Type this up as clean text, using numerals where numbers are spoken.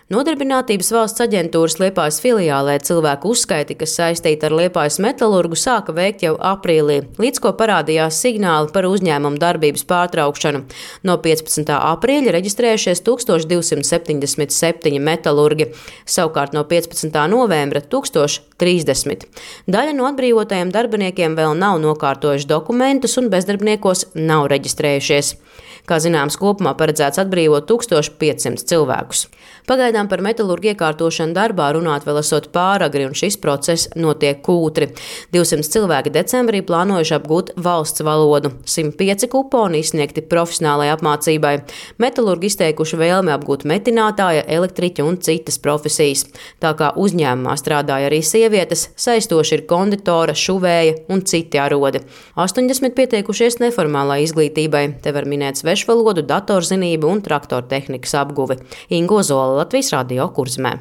Nodarbinātības valsts aģentūras Liepājas filiālē cilvēku uzskaiti, kas saistīta ar Liepājas metalurgu, sāka veikt jau aprīlī, līdz ko parādījās signāli par uzņēmumu darbības pārtraukšanu. No 15. aprīļa reģistrējušies 1277 metalurgi, savukārt no 15. novembra 1030. Daļa no atbrīvotajiem darbiniekiem vēl nav nokārtojuši dokumentus un bezdarbniekos nav reģistrējušies. Kā zināms, kopumā paredzēts atbrīvot 1500 cilvēkus. Pagaidām par metalurgu iekārtošanu darbā runāt vēl esot pāragri, un šis process notiek kūtri. 200 cilvēki decembrī plānojuši apgūt valsts valodu, 105 kuponi izsniegti profesionālajai apmācībai. Metalurgi izteikuši vēlmi apgūt metinātāja, elektriķa un citas profesijas. Tā kā uzņēmumā strādāja arī sievietes, saistoši ir konditora, šuvēja un citi arodi. 80 pieteikušies neformālai izglītībai. Te var minēt svešvalodu, datorzinību un traktortehnikas apguvi. Ingo Zola, Latvijas Radio, Kurzemē.